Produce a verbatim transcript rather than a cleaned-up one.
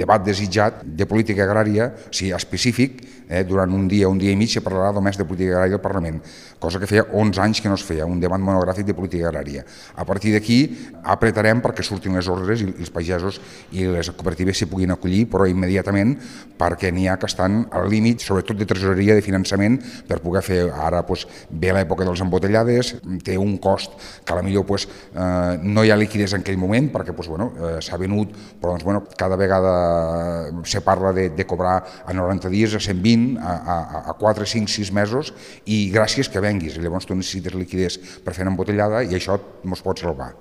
debat desitjat de política agrària, o sigui, específic, eh, durant un dia, un dia i mig se parlarà només de política agrària al Parlament, cosa que feia onze anys que no es feia, un debat monogràfic de política agrària. A partir d'aquí apretarem perquè surtin les ordres i els pagesos i les cooperatives s'hi puguin acollir, però immediatament, perquè n'hi ha que estan al límit, sobretot de tresoreria, de finançament, per poder fer, ara doncs, ve l'època dels embotellades, té un cost que a la millor doncs, eh, no hi ha liquiditat en aquell moment, perquè doncs, bueno, eh, s'ha venut, però doncs, bueno, cada vegada se parla de, de cobrar a noranta dies, a cent vint, a, a, a quatre, cinc, sis mesos, i gràcies que venguis. Llavors tu necessites liquiditat per fer una embotellada i això ens pot salvar.